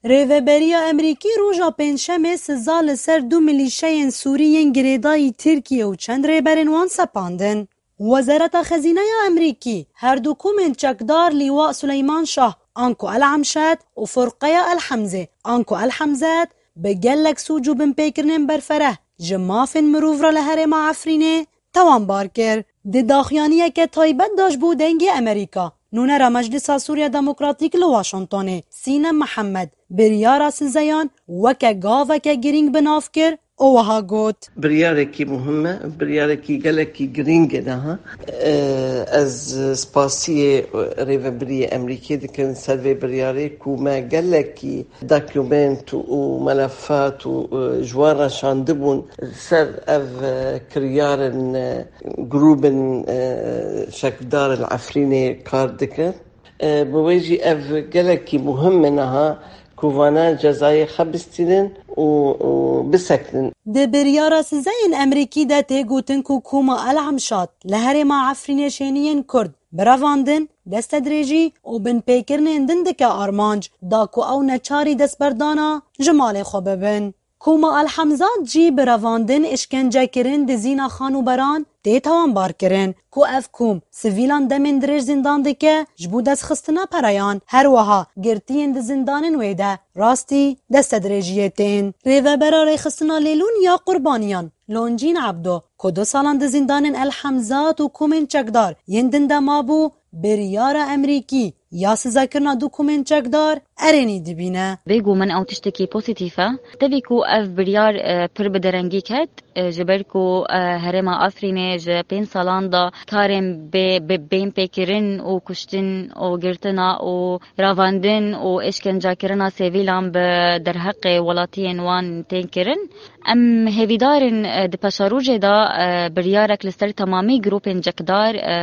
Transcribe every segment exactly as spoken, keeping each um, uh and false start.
Rêveberiya Emerîkî roja Pêncşemê siza li ser du milîşeyên Sûrî yên girêdayî Tirkiye û çend rêberên wan sepandin. Wezareta Xezîneya Emerîkî her du komên çekdar Lîwa Suleyman Şah anku El Emşet û Furqeya El Hemzê anku El Hemzet bi gelek sûc û binpêkirinên berfereh ji mafên mirov re li herêma Efrînê tewanbar kir. Di daxuyaniyeke taybet de ji bo Dengê Emerîka, nûnera Meclisa Sûriya Demokratîk li Washingtonê, Sînem Mihemed, biryara sizeyan weke gaveke girîng bi nav kir û wiha got. Biryarekî muhim e, biryarekî gelekî girîng e daha. E, Ez spasiyê rêvebiriyê Emerîkê dikim ser vê biryarê ku me gelekî dokument û melefat û, e, ji wan re şandibûn ser ev, e, kiryarên, e, grûbên, e, çekdar li Efrînê kar dikin. E, bi wê jî ev gelekî muhim e niha ku vana cezayê xebistînin û, û bisekinin. Di biryara sizeyên Emerîkî de tê gotin ku koma El Emşat li herêma Efrînê şêniyên Kurd bi revandin, destedirêjî û binpêkirinên din dike armanc, da ku ew neçarî destberdana ji malê xwe bibin. Koma El Hemzat jî bi revandin, îşkencekirin, dizîna xanûberan tê tawanbarkirin ku ev kom sivîlan demên dirêj zîndan dike ji bo destxistina pereyan, her wiha girtiyên di zîndanên wê de rastî destedirêjiyê tên. Rêvebera Rêxistina Lêlûn ya Qurbaniyan, Loncîn Ebdo, ku du salan di zîndanên El Hemzat û komên çekdar yên din de mabû, biryara Emerîkî ya sizekirina du komên çekdar erênî dibîne. Bêguman ew tiştekî pozîtîf e. Tevî ku ev biryar, e, pir bi derengî ket, e, ji ber ku, e, herêma Efrînê ji pênc salan de karên bê, bê, bên pêkirin û kuştin û girtina û ravandin û êşkencekirina sivîlan bi derheqê welatiyên wan tên kirin. Em hêvîdar in, e, di paşerojê de, e, biryarek li ser temamî grûpên çekdar, e,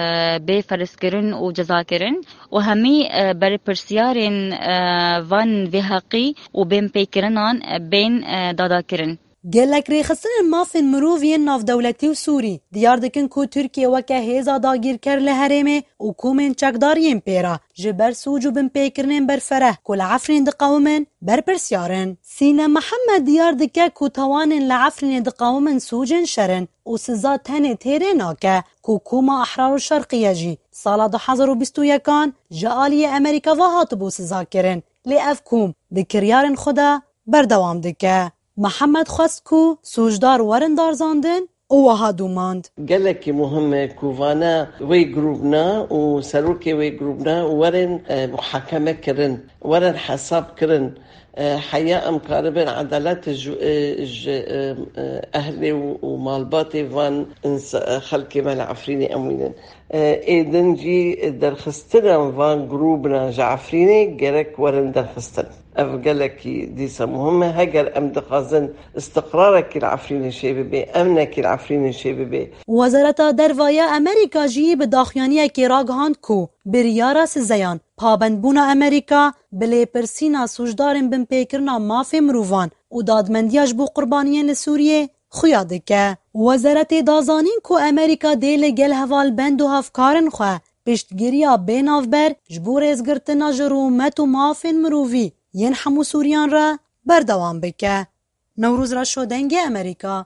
bê ferezkirin û cezakirin û hemî, e, berpirsiyarên, e, van vêheqî û bênpêkirinan, e, bên, e, dadakirin. Gelek rêxistinên mafên mirov yên navdewletî û Sûrî diyar dikin ku Tirkiye weke hêza dagîrker li herêmê û komên çekdar yên pê re ji ber sûc û binpêkirinên berfereh ku li Efrîn diqewimin, berpirsiyar in. Sîne Mihemed diyar dike ku tawanên li Efrînê diqewimin sûcên şer in û siza tenê têrê nake ku koma Ehrar û Şerqiye jî sala du hezar û bîst û yekan ji aliyê Emerîka ve hatibû sizakirin. Lê ev kom di kiryarên xwe de berdewam dike. Mihemed xwest ku sûcdar werin darzandin û wiha domand. Gelekî muhim e ku vana wê grûbna û serokê wê grûbna werin, e, muhakeme kirin, werin hesab kirin. E, heya em karibin edalet ji, e, ji, e, e, ehlê û, û malbatê van ins-, e, xelkê me li Efrînê em wînin. E, ê din jî derxistina van grûbna ji Efrînê gerek werin derxistin. Ev gelekî dîsa muhim e. Heger em dixwazin istiqrarekî li Efrînê çêbibe, emnekî li Efrînê çêbibe. Wezareta Derve ya Emerîka jî bi daxuyaniyekê ragihand ku biryara sizeyan pabendbûna Emerîka bi lêpirsîna sûcdarên binpêkirina mafê mirovan û dadmendiya ji bo qurbaniyên li Sûriyê xuya dike. Wezaretê da zanîn ku Emerîka dê li gel hevalbend û hevkarên xwe piştgiriya bê navber ji bo rêzgirtina ji rûmet û mafên mirovî yên hemû Sûriyan re berdewam bike. Newroz Reşo, Dengê Emerîka,